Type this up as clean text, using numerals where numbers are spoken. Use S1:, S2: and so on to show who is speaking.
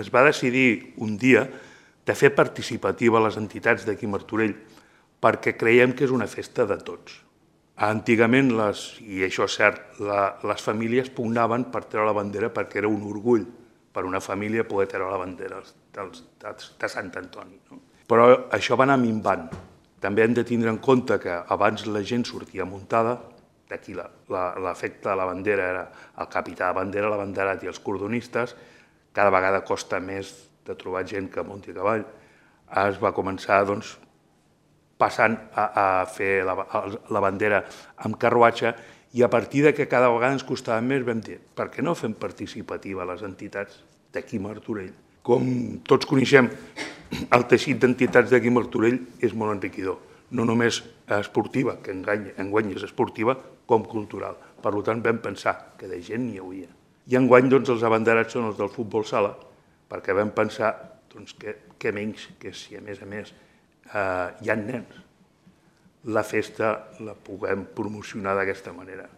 S1: es va decidir un dia de fer participativa les entitats d'aquí a Martorell perquè creiem que és una festa de tots. Antigament, i això és cert, les famílies pugnaven per treure la bandera perquè era un orgull per una família poder treure la bandera de Sant Antoni. Però això va anar minvant. També hem de tindre en compte que abans la gent sortia muntada, d'aquí l'efecte de la bandera era el capità de bandera, l'abanderat i els cordonistes. Cada vegada costa més de trobar gent que munti a cavall. Es va començar passant a fer la bandera amb carruatge i a partir que cada vegada ens costava més vam dir per què no fem participativa les entitats d'aquí a Martorell? Com tots coneixem, el teixit d'entitats d'aquí a Martorell és molt enriquidor, no només esportiva, que enguany és esportiva, com cultural. Per tant, vam pensar que de gent n'hi hauria. I enguany els abanderats són els del futbol sala, perquè vam pensar que menys que si a més hi ha nens, la festa la puguem promocionar d'aquesta manera.